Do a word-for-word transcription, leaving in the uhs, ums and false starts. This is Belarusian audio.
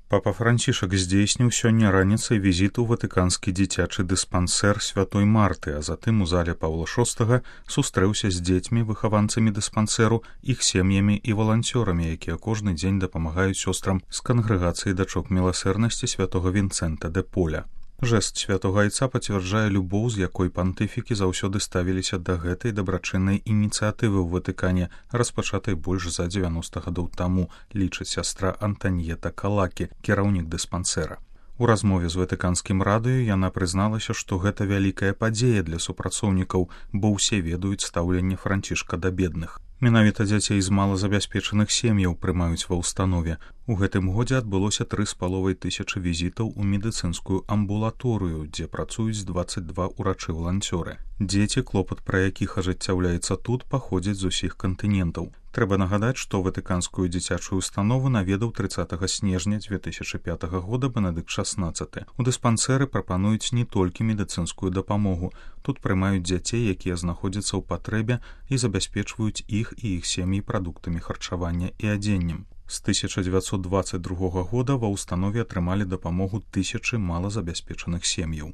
Папа Францішак здзейсніў сёння раніцай візіт у ватыканскі дзіцячы дыспансер святой Марты, а затым у зале Паўла шостага сустрэўся з дзецьмі, выхаванцамі дыспансеру, іх сем'ямі і валанцёрамі, якія кожны дзень дапамагаюць сёстрам з кангрэгацыі дачок міласэрнасці святога Вінцэнта де Поля. Жэст святога айца пацвярджае любоў, з якой пантыфікі заўсёды ставіліся да гэтай дабрачыннай ініцыятывы ў Ватыкане, распачатай больш за дзевяноста гадоў таму, лічыць сястра Антаньета Калакі, кіраўнік дыспансера. У размове з ватыканскім радыё яна прызналася, што гэта вялікая падзея для супрацоўнікаў, бо ўсе ведаюць стаўленне Францішка да бедных. Менавіта дзяцей з малазабяспечаных сем'яў прымаюць ва ўстанове. У гэтым годзе адбылося тры з паловай тысячы візітаў у медыцынскую амбулаторыю, дзе працуюць дваццаць два ўрачы-валанцёры. Дзеці, клопат пра якіх ажыццяўляецца тут, паходзяць з усіх кантынентаў. Трэба нагадаць, што ватыканскую дзіцячую установу наведаў трыццатага снежня дзве тысячы пятага года Бенедыкт шаснаццаты. У дыспансеры прапануюць не толькі медыцынскую дапамогу. Тут прымаюць дзяцей, якія знаходзяцца ў патрэбе і забяспечваюць іх і іх сем'і прадуктамі харчавання і адзеннем. З тысяча дзевяцьсот дваццаць другога года ва ўстанове атрымалі дапамогу тысячы малазабяспечаных сем'яў.